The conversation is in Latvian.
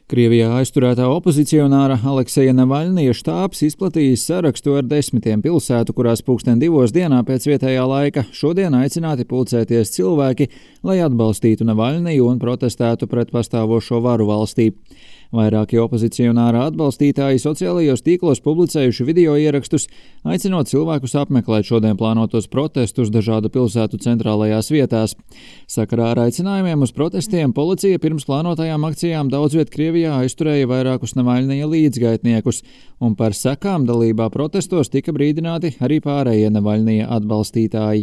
Krievijā aizturētā opozicionāra Alekseja Navaļnija štābs izplatījis sarakstu ar 10 pilsētu, kurās 2:00 dienā pēc vietējā laika šodien aicināti pulcēties cilvēki, lai atbalstītu Navaļniju un protestētu pret pastāvošo varu valstī. Vairāki opozicionāra atbalstītāji sociālajos tīklos publicējuši video ierakstus, aicinot cilvēkus apmeklēt šodien plānotos protestus dažādu pilsētu centrālajās vietās. Sakarā ar aicinājumiem uz protestiem policija pirms plānotajām akcijām daudz viet Krievijā aizturēja vairākus Navaļnija līdzgaitniekus, un par sekām dalībā protestos tika brīdināti arī pārējie Navaļnija atbalstītāji.